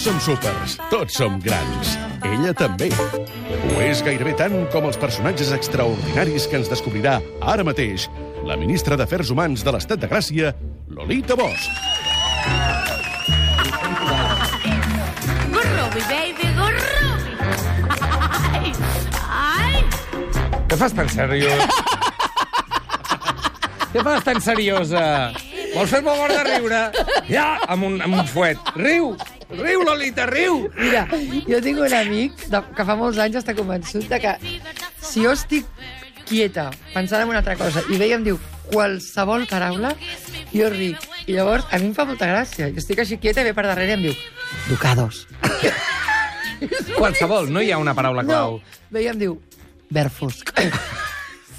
Tots som súpers, tots som grans. Ella també. Ho és gairebé tant com els personatges extraordinaris que ens descobrirà ara mateix la ministra d'Afers Humans de l'Estat de Gràcia, Lolita Bosch. Gorrobi, baby, gorrobi! Ai! Què fas tan seriós? Què fas tan seriosa? Vols fer-me mort de riure? Ja, amb un fuet. Riu, Lolita, riu! Mira, jo tinc un amic que fa molts anys està convençut de que si jo estic quieta, pensant en una altra cosa, i veia em diu qualsevol paraula, jo ric. I llavors a mi em fa molta gràcia. Jo estic així quieta i ve per darrere i em diu ducados. Qualsevol, no hi ha una paraula clau. No, veia em diu verd fosc.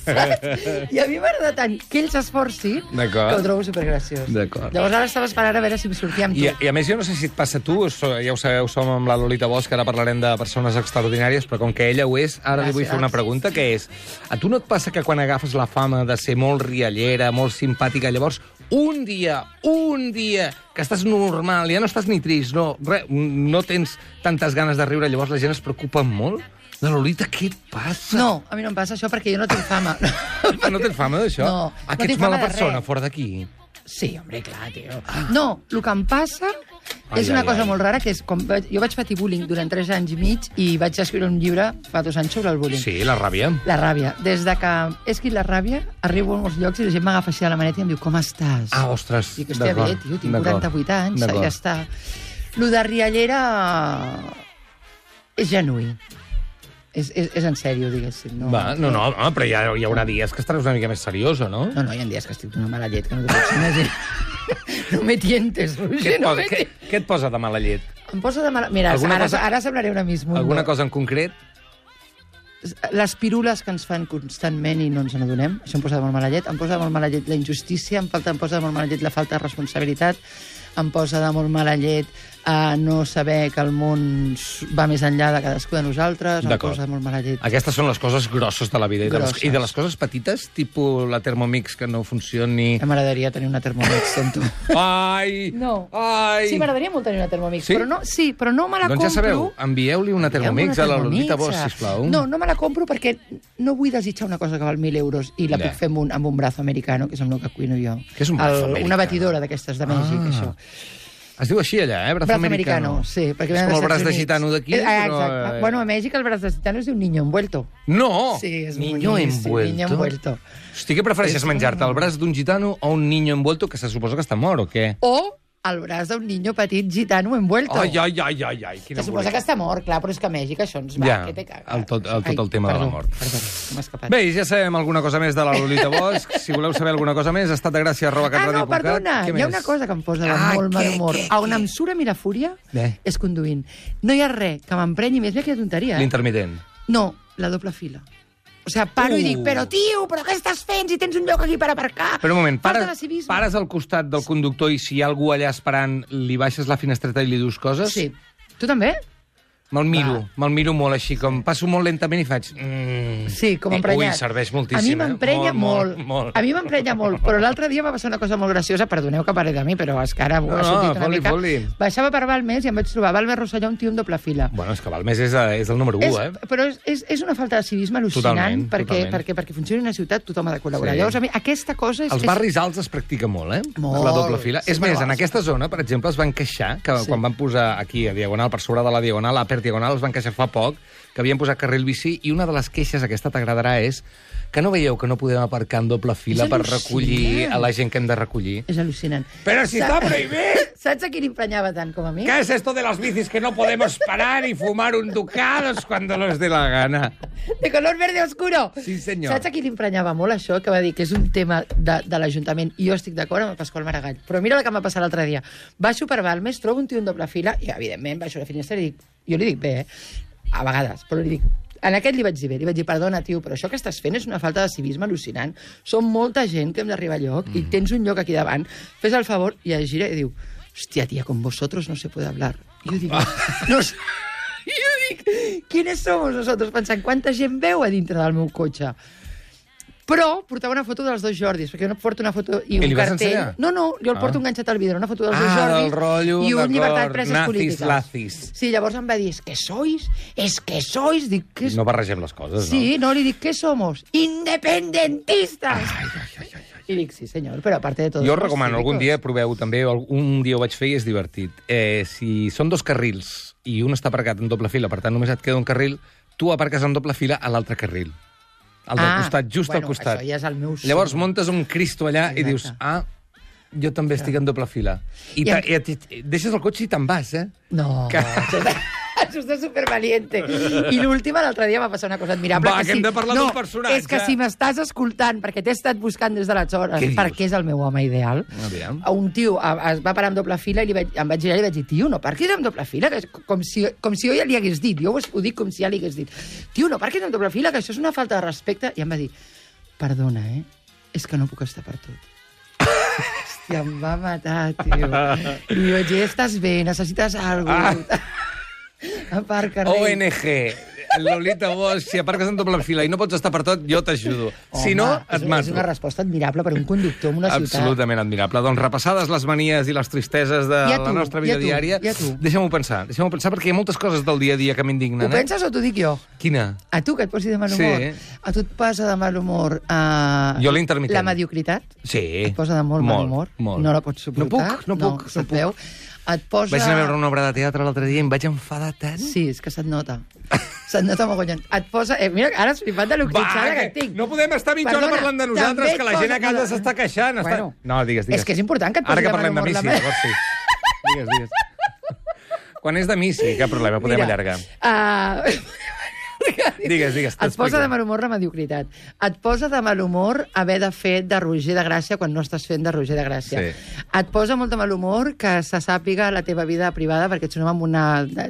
I a mi m'agrada tant que ell s'esforci que ho trobo supergraciós. Llavors ara estava esperant a veure si em sortia amb tu. I a més, jo no sé si et passa a tu, ja ho sabeu, som amb la Lolita Bosch, ara parlarem de persones extraordinàries, però com que ella ho és, ara li vull fer una pregunta, que és, a tu no et passa que quan agafes la fama de ser molt riallera, molt simpàtica, llavors un dia que estàs normal, ja no estàs ni trist, no tens tantes ganes de riure, llavors la gent es preocupa molt? De Lolita, què et passa? No, a mi no em passa això perquè jo no tinc fama. No tens fama d'això? No. Que ets mala persona, fora d'aquí? Sí, home, clar, tio. No, el que em passa és una cosa molt rara, que és com jo vaig patir bullying durant 3 anys i mig i vaig escriure un llibre fa 2 anys sobre el bullying. Sí, la ràbia. La ràbia. Des de que he escrit la ràbia, arribo a molts llocs i la gent m'agafa així a la maneta i em diu, com estàs? Ah, ostres, dic, hòstia, bé, tio, tinc 48 anys, ja està. Lo de riallera és genuí. És en sèrio, diguéssim. No, però hi haurà dies que estaràs una mica més seriosa, no? No, hi ha dies que estic d'una mala llet, que no t'ho pots imaginar. No me tientes, Roger, no me tientes. Què et posa de mala llet? Em posa de mala... Mira, ara semblaré una Miss Mundo. Alguna cosa en concret? Les pirules que ens fan constantment i no ens n'adonem, això em posa de molt mala llet. Em posa de molt mala llet la injustícia, em posa de molt mala llet la falta de responsabilitat, em posa de molt mala llet no saber que el món va més enllà de cadascú de nosaltres, em posa de molt mala llet. Aquestes són les coses grosses de la vida. I de les coses petites, tipus la Thermomix que no funcioni... M'agradaria tenir una Thermomix, sento. Ai! No. Ai! Sí, m'agradaria molt tenir una Thermomix, sí? Però no me la compro... Doncs ja sabeu, envieu-li una Thermomix a la Lolita Bosch, sisplau. No me la compro perquè no vull desitjar una cosa que val 1.000 euros i la puc fer amb un brazo americano, que és amb el que cuino jo. Què és un brazo americano? Una batidora d'aquestes de Mèxic, això. Es diu així allà, brazo americano. Sí, perquè és com el braç de gitano d'aquí. Exacte. Bueno, a Mèxic el braç de gitano es diu niño envuelto. No! Sí, és niño envuelto. Hosti, què prefereixes, menjar-te el braç d'un gitano o un niño envuelto que se suposa que està mort, o què? O el braç d'un niño petit gitano envuelto. Ai, quina se suposa que està mort, clar, però és que a Mèxic això ens va, que te caga. Tot el tema de la mort. Perdó, m'ha escapat. Bé, ja sabem alguna cosa més de la Lolita Bosch. Si voleu saber alguna cosa més, estatdegràcia@catradio.cat. No, perdona, hi ha una cosa que em posa de molt mal humor. On em surt a mi la fúria és conduint. No hi ha res que m'emprenyi més. Mira quina tonteria, L'intermitent. No, la doble fila. O sigui, paro i dic, però tio, però què estàs fent si tens un lloc aquí per aparcar? Però un moment, pares al costat del conductor i si hi ha algú allà esperant, li baixes la finestreta i li dius coses? Sí. Tu també? Me'l miro molt així, com passo molt lentament i faig... Sí, com emprenyat. Ui, serveix moltíssim. A mi m'emprenya molt. A mi m'emprenya molt, però l'altre dia va passar una cosa molt graciosa, perdoneu que parli de mi, però és que ara ha sortit una mica. Baixava per Balmes i em vaig trobar Balmes Rosselló, un tio en doble fila. Bueno, és que Balmes és el número 1, Però és una falta de civisme al·lucinant, perquè funcioni una ciutat tothom ha de col·laborar. Llavors, a mi, aquesta cosa és... Els barris alts es practica molt, la doble fila. És més, en aquesta zona, per exemple, es van queixar, que quan van posar aquí a Diagonal, per sobre de la Diagonal, a per Diagonal, es van queixar fa poc que havien posat carril bici i una de les queixes, aquesta t'agradarà, és que no veieu que no podem aparcar en doble fila per recollir a la gent que hem de recollir. És al·lucinant. Però si està prohibit! Saps a qui l'emprenyava tant com a mi? ¿Qué es esto de las bicis que no podemos parar y fumar un ducados cuando nos dé la gana? De color verde oscuro. Sí, senyor. Saps a qui l'emprenyava molt això? Que va dir que és un tema de l'Ajuntament i jo estic d'acord amb el Pasqual Maragall. Però mira el que m'ha passat l'altre dia. Baixo per Balmes, trobo un tio en doble fila i, evidentment, baixo la finestra i dic... Jo li dic bé, a vegades, però li dic... En aquest li vaig dir bé, li vaig dir, perdona, tio, però això que estàs fent és una falta de civisme al·lucinant. Som molta gent que hem d'arribar a lloc i tens un lloc aquí davant. Fes el favor, i es gira i diu, hòstia, tia, con vosotros no se puede hablar. I jo dic, no sé... I jo dic, ¿quiénes somos nosotros? Pensant, quanta gent veu a dintre del meu cotxe? Però portava una foto dels dos Jordis, perquè jo no porto una foto i un li vas cartell. ensenyar? No, jo el porto enganxat al vidre, una foto dels dos Jordis del rotllo, i un d'acord, llibertat preses nazis, polítiques. lazis. Sí, llavors em va dir, és que sois... Dic, què és... No barregem les coses, Sí, no, li dic, ¿qué somos? Independentistas. I dic, sí, senyor, però a part de tot... Jo recomano, algun dia proveu també, un dia ho vaig fer i és divertit. Si són dos carrils i un està aparcat en doble fila, per tant només et queda un carril, tu aparques en doble fila a l'altre carril. Al del costat, just al costat. Això ja és el meu somni. Llavors muntes un Cristo allà i dius, jo també estic en doble fila. I deixes el cotxe i te'n vas, No, això està supervaliente. I l'última, l'altre dia va passar una cosa admirable. Va, que hem de parlar d'un personatge. És que si m'estàs escoltant, perquè t'he estat buscant des d'aleshores, perquè és el meu home ideal, un tio es va parar en doble fila i em vaig girar i li vaig dir, tio, no parquis en doble fila, que és com si jo ja li hagués dit, jo ho dic com si ja li hagués dit, tio, no parquis en doble fila, que això és una falta de respecte, i em va dir, perdona, és que no puc estar per tot. Hòstia, em va matar, tio. I jo vaig dir, estàs bé, necessites alguna cosa. Aparca, rei. ONG, Lolita Bosch, si aparques en doble fila i no pots estar per tot, jo t'ajudo. Si no, et mato. És una resposta admirable per un conductor en una ciutat. Absolutament admirable. Doncs repassades les manies i les tristeses de la nostra vida diària, deixa'm-ho pensar, perquè hi ha moltes coses del dia a dia que m'indignen. Ho penses o t'ho dic jo? Quina? A tu, que et posi de mal humor? Sí. A tu et posa de mal humor jo l'intermitent. la mediocritat? Sí. Et posa de molt mal humor? Molt. No la pots suportar? No puc. Et posa... Vaig anar a veure una obra de teatre l'altre dia i em vaig enfadar tant. Sí, és que se't nota. Se't nota mogollon. Et posa... mira, ara has flipat de l'octitxada que tinc. No podem estar mitja hora parlant de nosaltres, que la gent a casa s'està queixant. Bueno, no, digues. És que és important que et posi de mal humor. Ara que parlem de mi, sí, llavors sí. Digues. Quan és de mi, sí, cap problema, podem allargar. Digues. Et posa de mal humor la mediocritat. Et posa de mal humor haver de fer de Roger de Gràcia quan no estàs fent de Roger de Gràcia. Sí. Et posa molt de mal humor que se sàpiga la teva vida privada perquè ets un home amb un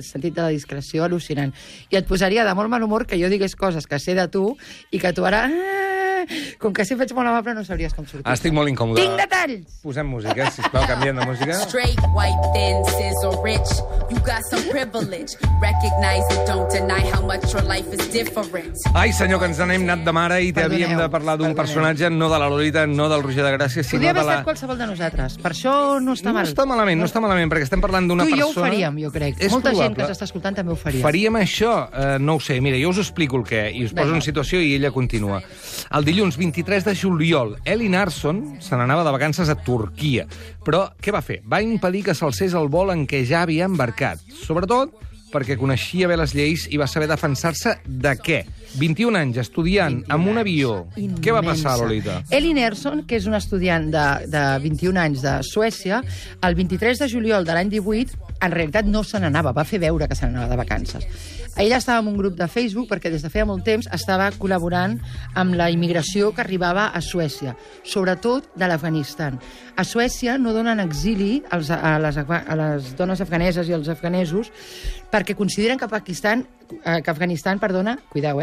sentit de discreció al·lucinant. I et posaria de molt mal humor que jo digués coses que sé de tu i que tu ara... com que si faig molt amable no sabries com sortir. Estic molt incòmode. Tinc detalls! Posem música, sisplau, canviem de música. Straight, white, thin, sizzle, rich. You got some privilege. Recognize it, don't deny how much your life is different. Ai, senyor, que ens n'hem anat de mare i havíem de parlar d'un personatge, no de la Lolita, no del Roger de Gràcia, sinó Podria de haver estat qualsevol de nosaltres. Per això no està mal. No està malament, perquè estem parlant d'una persona... Tu i jo ho faríem, jo crec. Molta gent que ens està escoltant també ho faria. Faríem això? No ho sé. Mira, jo us explico el què, i us poso en situació i ella continua. El dilluns 23 de juliol, Ellie Narson se n'anava de vacances a Turquia. Però què va fer? Va impedir que s'alcés el vol en què ja havia embarcat. Sobretot perquè coneixia bé les lleis i va saber defensar-se de què? 21 anys, estudiant, amb un avió. Immensa. Què va passar, Lolita? Ellie Nerson, que és una estudiant de 21 anys de Suècia, el 23 de juliol de l'any 18, en realitat no se n'anava, va fer veure que se n'anava de vacances. Ella estava en un grup de Facebook perquè des de feia molt temps estava col·laborant amb la immigració que arribava a Suècia, sobretot de l'Afganistan. A Suècia no donen exili a les dones afganeses i als afganesos perquè consideren que Afganistan, cuideu,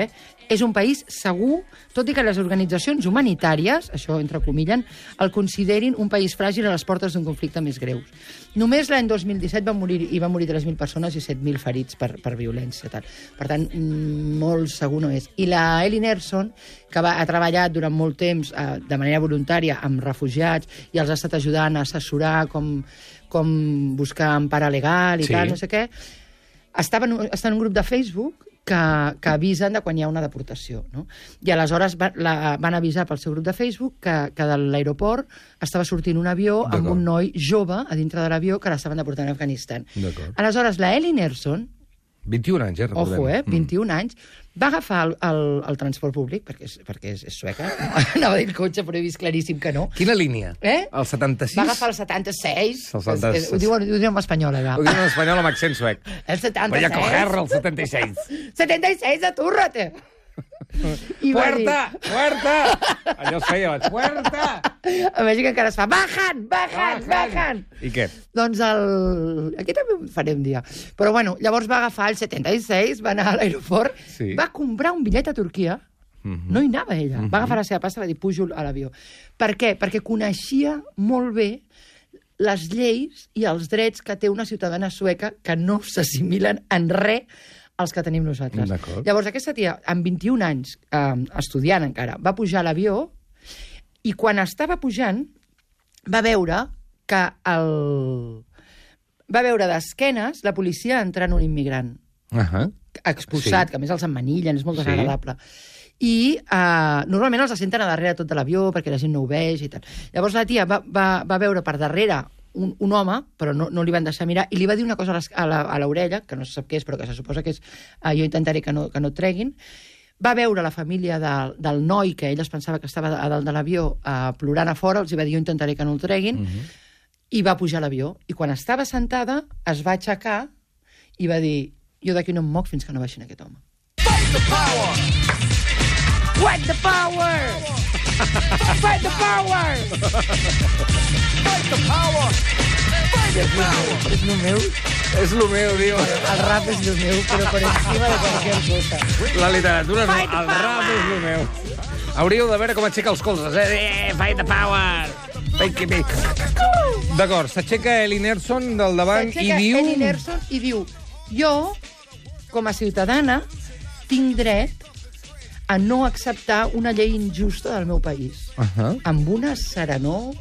és un país segur, tot i que les organitzacions humanitàries, això entrecomillen, el considerin un país fràgil a les portes d'un conflicte més greu. Només l'any 2017 van morir 3.000 persones i 7.000 ferits per violència. Tal. Per tant, molt segur no és. I la Ellie Nerson, que ha treballat durant molt temps de manera voluntària amb refugiats i els ha estat ajudant a assessorar com buscar empara legal i tal, no sé què, està en un grup de Facebook que avisen de quan hi ha una deportació. No? I aleshores van avisar pel seu grup de Facebook que de l'aeroport estava sortint un avió amb un noi jove a dintre de l'avió que l'estaven deportant a Afganistan. Aleshores, la Ellie Nerson, 21 anys, recordem. Ojo, 21 anys, va agafar el transport públic, perquè és sueca. Anava a dir el cotxe, però he vist claríssim que no. Quina línia? El 76? Va agafar el 76. El 76. Ho diuen en espanyol, allà. Ho diuen en espanyol amb accent suec. El 76. Voy a coger el 76. 76, atúrrate! Puerta! Allò es feia, puerta! A Mèxic encara es fa, bajan! I què? Doncs aquí també ho faré un dia. Però bueno, llavors va agafar el 76, va anar a l'aeroport, va comprar un bitllet a Turquia, no hi anava ella, va agafar la seva pasta i va dir, pujo a l'avió. Per què? Perquè coneixia molt bé les lleis i els drets que té una ciutadana sueca que no s'assimilen en res els que tenim nosaltres. D'acord. Llavors, aquesta tia, amb 21 anys, estudiant encara, va pujar a l'avió i quan estava pujant va veure que va veure d'esquenes la policia entrant un immigrant expulsat, que a més els emmanillen, és molt desagradable. I normalment els senten a darrere tot de l'avió perquè la gent no ho vegi i tal. Llavors la tia va veure per darrere un home, però no li van deixar mirar, i li va dir una cosa a l'orella, que no se sap què és, però que se suposa que és jo intentaré que no et treguin. Va veure la família del noi, que ell es pensava que estava a dalt de l'avió plorant a fora, els va dir jo intentaré que no el treguin, i va pujar a l'avió. I quan estava sentada, es va aixecar i va dir jo d'aquí no em moc fins que no baixin aquest home. Fight the power! Fight the power! Fight the power! Fight the power! Fight the power! És el meu. És el meu, diu. El rap és el meu, però per encima de qualsevol cosa. La literatura no, el rap és el meu. Hauríeu de veure com aixeca els colzes, Fight the power! D'acord, s'aixeca Ellie Nelson del davant i diu... Ellie Nelson i diu jo, com a ciutadana, tinc dret a no acceptar una llei injusta del meu país. Amb una serenor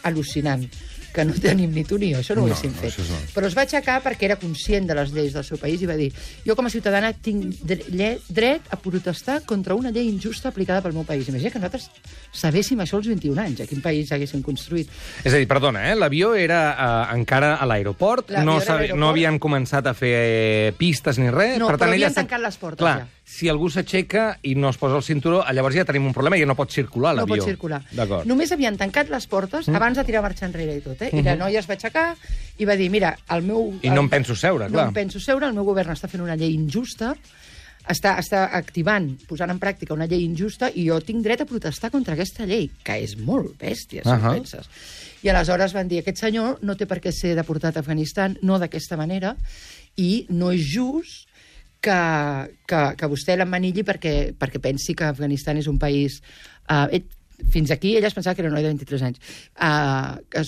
al·lucinant, que no tenim ni tu ni jo, això no ho haguéssim fet. Però es va aixecar perquè era conscient de les lleis del seu país i va dir jo com a ciutadana tinc dret a protestar contra una llei injusta aplicada pel meu país. Imagina que nosaltres sabéssim això als 21 anys, a quin país haguéssim construït. És a dir, perdona, l'avió era encara a l'aeroport, no havien començat a fer pistes ni res. No, però havien tancat les portes ja. Si algú s'aixeca i no es posa el cinturó, llavors ja tenim un problema i ja no pot circular l'avió. No pot circular. Només havien tancat les portes abans de tirar marxa enrere i tot. I la noia es va aixecar i va dir, mira, el meu... I no em penso seure, clar. No em penso seure, el meu govern està fent una llei injusta, està activant, posant en pràctica una llei injusta i jo tinc dret a protestar contra aquesta llei, que és molt bèstia, si ho penses. I aleshores van dir, aquest senyor no té per què ser deportat a Afganistan, no d'aquesta manera, i no és just que vostè l'emmanilli perquè pensi que Afganistan és un país... Fins aquí ella es pensava que era un noi de 23 anys. Que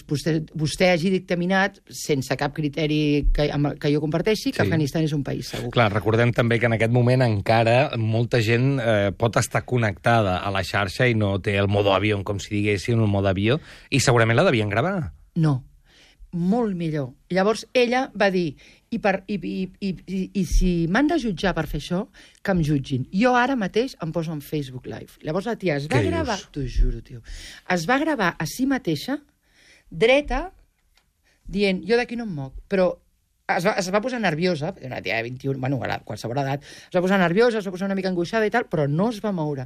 vostè hagi dictaminat, sense cap criteri que jo comparteixi, que Afganistan és un país segur. Clar, recordem també que en aquest moment encara molta gent pot estar connectada a la xarxa i no té el modo avió, com si diguéssim, el modo avió, i segurament la devien gravar. No, molt millor. Llavors ella va dir i si m'han de jutjar per fer això, que em jutgin. Jo ara mateix em poso en Facebook Live. Llavors la tia es va gravar, t'ho juro, tio, es va gravar a si mateixa, dreta, dient, jo d'aquí no em moc, però es va posar nerviosa, una tia de 21, bueno, a qualsevol edat, es va posar nerviosa, es va posar una mica angoixada i tal, però no es va moure.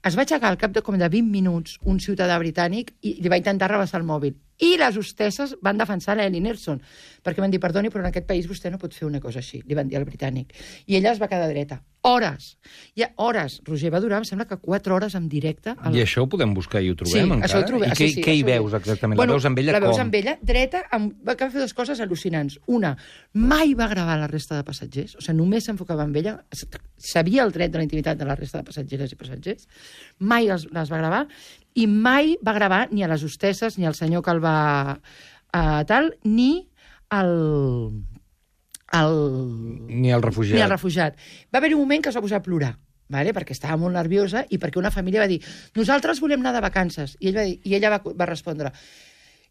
Es va aixecar al cap de 20 minuts un ciutadà britànic i li va intentar rebassar el mòbil. I les hostesses van defensar l'Ellie Nelson, perquè van dir, perdoni, però en aquest país vostè no pot fer una cosa així, li van dir al britànic. I ella es va quedar dreta. Hores. Ja hores. Roger, va durar, em sembla que 4 hores en directe. I això ho podem buscar i ho trobem encara? Això ho trobem. I què hi veus exactament? La veus amb ella com? La veus amb ella dreta, va fer 2 coses al·lucinants. Una, mai va gravar la resta de passatgers, o sigui, només s'enfocava en ella, sabia el dret de la intimitat de la resta de passatgeres i passatgers, mai les va gravar, i mai va gravar ni a les hostesses, ni al senyor que el va ni al refugiat. Va haver un moment que es va posar a plorar, perquè estava molt nerviosa i perquè una família va dir nosaltres volem anar de vacances. I ella va respondre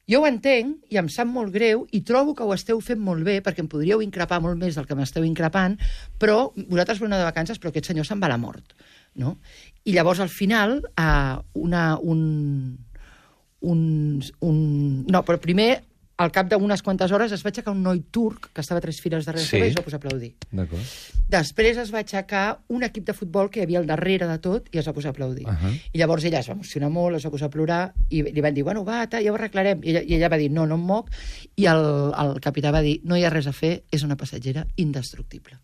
jo ho entenc i em sap molt greu i trobo que ho esteu fent molt bé perquè em podríeu increpar molt més del que m'esteu increpant, però vosaltres voleu anar de vacances però aquest senyor se'n va a la mort. No? I llavors al final però primer al cap d'unes quantes hores es va aixecar un noi turc que estava a 3 files darrere seva i es va posar a aplaudir. Després es va aixecar un equip de futbol que hi havia al darrere de tot i es va posar a aplaudir. I llavors ella es va emocionar molt, es va posar a plorar i li van dir, bueno, va, ja ho arreglarem. I ella va dir, no em moc. I el capità va dir, no hi ha res a fer, és una passatgera indestructible.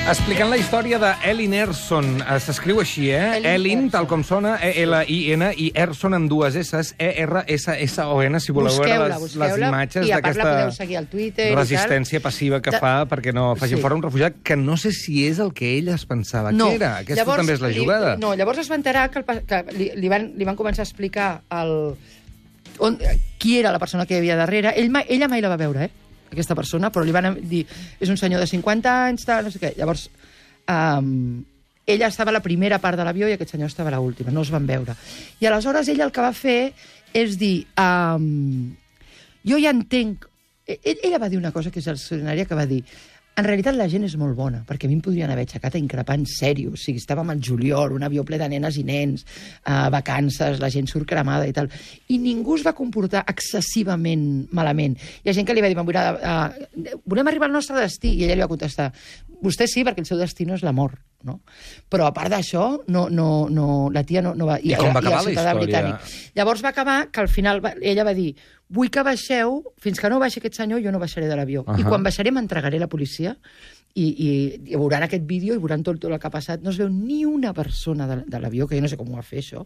Explicant la història d'Elin Erson. S'escriu així, Elin, tal com sona, E-L-I-N, i Erson amb dues S, E-R-S-S-O-N, si voleu veure les imatges d'aquesta resistència passiva que fa perquè no facin fora un refugiat, que no sé si és el que ell es pensava que era. Aquesta també és la jugada. No, llavors es va enterar que li van començar a explicar qui era la persona que hi havia darrere. Ella mai la va veure, aquesta persona, però li van dir és un senyor de 50 anys, tal, no sé què. Llavors, ella estava a la primera part de l'avió i aquest senyor estava a l'última, no es van veure. I aleshores ella el que va fer és dir jo ja entenc... Ella va dir una cosa que és extraordinària, que va dir en realitat la gent és molt bona, perquè a mi em podrien haver aixecat a increpar en sèrio. O sigui, estàvem al juliol, un avió ple de nenes i nens, vacances, la gent surt cremada i tal. I ningú es va comportar excessivament malament. Hi ha gent que li va dir, volem arribar al nostre destí, i ella li va contestar, vostè sí, perquè el seu destí no és la mort, no? Però a part d'això, la tia no va... I com va acabar la història? Britànic. Llavors va acabar que al final ella va dir vull que baixeu, fins que no baixi aquest senyor jo no baixaré de l'avió. I quan baixaré m'entregaré a la policia i veuran aquest vídeo i veuran tot el que ha passat. No es veu ni una persona de l'avió, que jo no sé com ho va fer, això.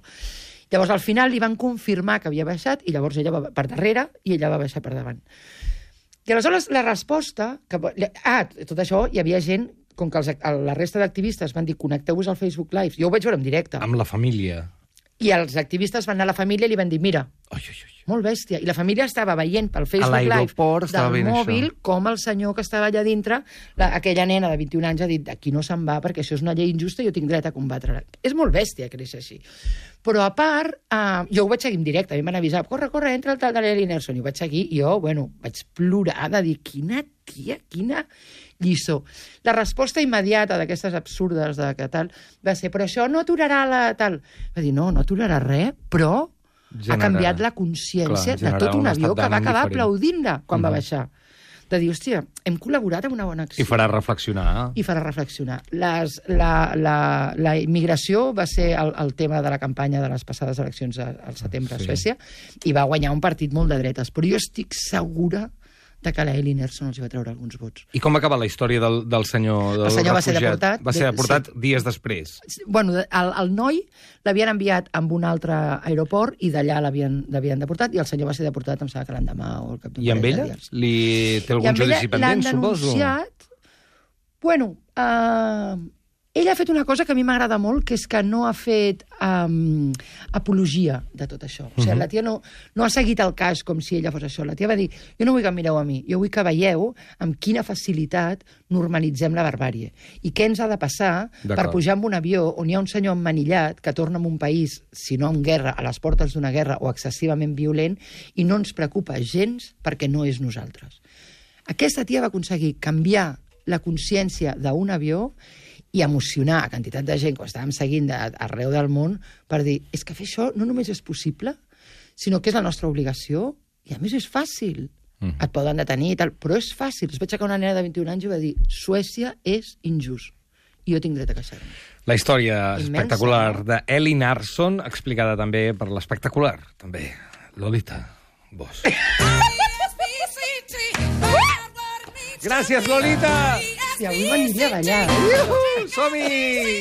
Llavors, al final, li van confirmar que havia baixat i llavors ella va per darrere i ella va baixar per davant. I aleshores la resposta... tot això hi havia gent, com que la resta d'activistes van dir connecteu-vos al Facebook Live. Jo ho vaig veure en directe. Amb la família. I els activistes van anar a la família i li van dir, mira, molt bèstia. I la família estava veient pel Facebook Live del mòbil com el senyor que estava allà dintre, aquella nena de 21 anys ha dit, aquí no se'n va perquè això és una llei injusta i jo tinc dret a combatre-la. És molt bèstia que és així. Però a part, jo ho vaig seguir en directe, a mi m'han avisat, corre, entra el tal de l'Elin Erson, i ho vaig seguir, i jo, vaig plorar de dir, quina tia, quina lliçó. La resposta immediata d'aquestes absurdes de que tal va ser, però això no aturarà la tal. Va dir, no aturarà res, però ha canviat la consciència de tot un avió que va acabar aplaudint-la quan va baixar. De dir, hòstia, hem col·laborat en una bona acció. I farà reflexionar. I farà reflexionar. La immigració va ser el tema de la campanya de les passades eleccions al setembre a Suècia i va guanyar un partit molt de dretes. Però jo estic segura de que l'Elin Erson els va treure alguns vots. I com va acabar la història del senyor El senyor va ser deportat. Va ser deportat dies després. Bueno, el noi l'havien enviat amb un altre aeroport i d'allà l'havien deportat i el senyor va ser deportat, em sembla que l'endemà o el cap d'un I amb ella? Té algun judici pendent, suposo? I amb ella l'han denunciat... Bueno, ella ha fet una cosa que a mi m'agrada molt, que és que no ha fet apologia de tot això. O sigui, la tia no ha seguit el cas com si ella fos això. La tia va dir, jo no vull que em mireu a mi, jo vull que veieu amb quina facilitat normalitzem la barbàrie. I què ens ha de passar per pujar en un avió on hi ha un senyor emmanillat que torna a un país, si no en guerra, a les portes d'una guerra o excessivament violent, i no ens preocupa gens perquè no és nosaltres. Aquesta tia va aconseguir canviar la consciència d'un avió i emocionar a quantitat de gent que estàvem seguint arreu del món per dir, és que fer això no només és possible, sinó que és la nostra obligació i a més és fàcil. Et poden detenir i tal, però és fàcil. Es va aixecar una nena de 21 anys i va dir, Suècia és injust i jo tinc dret a queixar-me. La història espectacular d'Elin Erson, explicada també per l'espectacular, també, Lolita Bosch. Gràcies, Lolita! I avui m'aniria a ballar. Som-hi!